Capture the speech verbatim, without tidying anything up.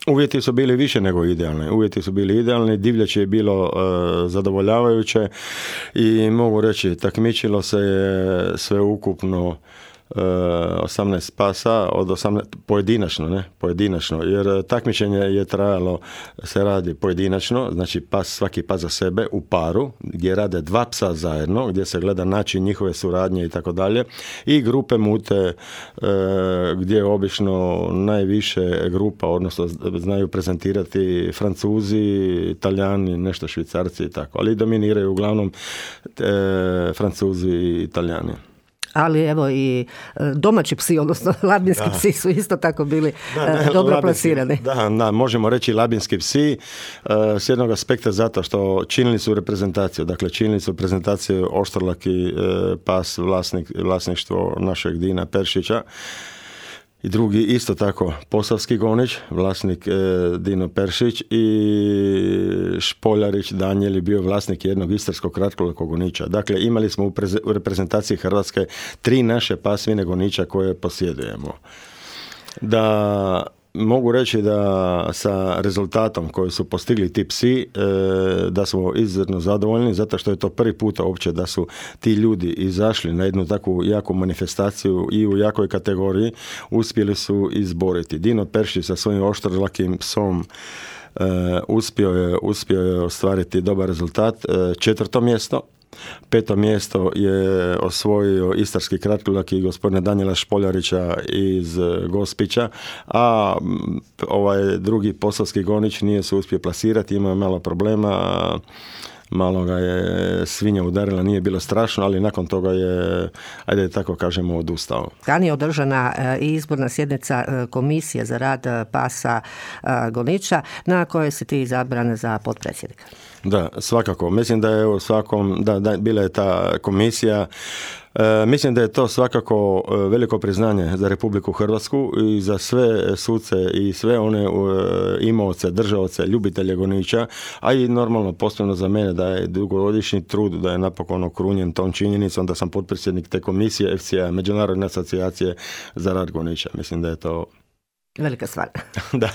Uvjeti su bili više nego idealni. Uvjeti su bili idealni, divljač je bilo uh, zadovoljavajuće i mogu reći, takmičilo se je sve ukupno osamnaest pasa od osamnaest pojedinačno, ne, pojedinačno, jer takmičenje je trajalo, se radi pojedinačno, znači pas, svaki pas za sebe u paru, gdje rade dva psa zajedno, gdje se gleda način njihove suradnje i tako dalje, i grupe mute e, gdje obično najviše grupa, odnosno znaju prezentirati Francuzi, Italijani, nešto Švicarci i tako, ali dominiraju uglavnom e, Francuzi i Italijani. Ali evo i domaći psi, odnosno labinski da. psi su isto tako bili da, ne, dobro labinski, plasirani. Da, da, možemo reći labinski psi uh, s jednog aspekta zato što činili su reprezentaciju. Dakle, činili su reprezentaciju Oštrolaki uh, pas, vlasnik, vlasništvo našeg Dina Peršića. I drugi isto tako posavski gonič, vlasnik e, Dino Peršić, i Špoljarić Danijel je bio vlasnik jednog istarskog kratkolakog goniča. Dakle, imali smo u, preze, u reprezentaciji Hrvatske tri naše pasmine goniča koje posjedujemo. Da mogu reći da sa rezultatom koji su postigli ti psi, e, da smo izuzetno zadovoljni, zato što je to prvi puta uopće da su ti ljudi izašli na jednu takvu jaku manifestaciju i u jakoj kategoriji, uspjeli su izboriti. Dino Peršić sa svojim oštrolakim psom e, uspio je, uspio je ostvariti dobar rezultat, e, četvrto mjesto. Peto mjesto je osvojio istarski kratkolaki gospodina Danijela Špoljarića iz Gospića, a ovaj drugi posavski gonič nije se uspio plasirati, imao je malo problema, malo ga je svinja udarila, nije bilo strašno, ali nakon toga je, ajde tako kažemo, odustao. Kad je održana i izborna sjednica komisije za rad pasa goniča, na kojoj si ti izabran za potpredsjednika? Da, svakako. Mislim da je u svakom, da, da bila je ta komisija. E, mislim da je to svakako veliko priznanje za Republiku Hrvatsku i za sve suce i sve one e, imaoce, držaoce, ljubitelje goniča, a i normalno posebno za mene da je dugogodišnji trud da je napokon okrunjen tom činjenicom da sam potpredsjednik te komisije F C A, Međunarodne asocijacije za rad goniča. Mislim da je to velika stvar. Da.